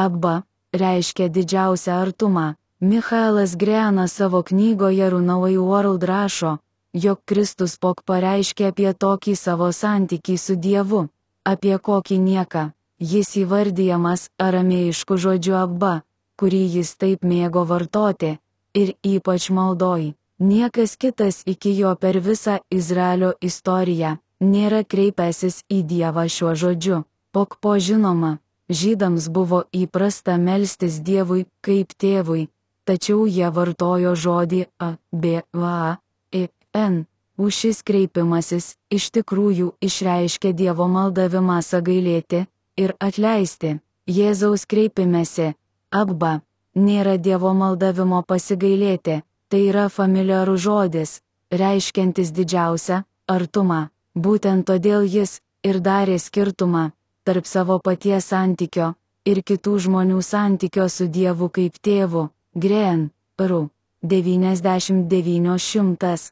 Abba reiškia didžiausią artumą. Michaelas Greanas savo knygoje Runaway World rašo, jog Kristus pok pareiškė apie tokį savo santykį su Dievu, apie kokį nieką. Jis įvardijamas aramėjišku žodžiu Abba, kurį jis taip mėgo vartoti, ir ypač maldoj. Niekas kitas iki jo per visą Izraelio istoriją nėra kreipęsis į Dievą šiuo žodžiu. Pok po žinoma, žydams buvo įprasta melstis Dievui kaip tėvui, tačiau jie vartojo žodį A-B-V-A-I-N. Šis kreipimasis iš tikrųjų išreiškia Dievo maldavimą sagailėti ir atleisti. Jėzaus kreipimesi Abba nėra Dievo maldavimo pasigailėti, tai yra familiarus žodis, reiškiantis didžiausią artumą. Būtent todėl jis ir darė skirtumą tarp savo paties santykio ir kitų žmonių santykio su Dievu kaip tėvu. Green, Ru. 9900.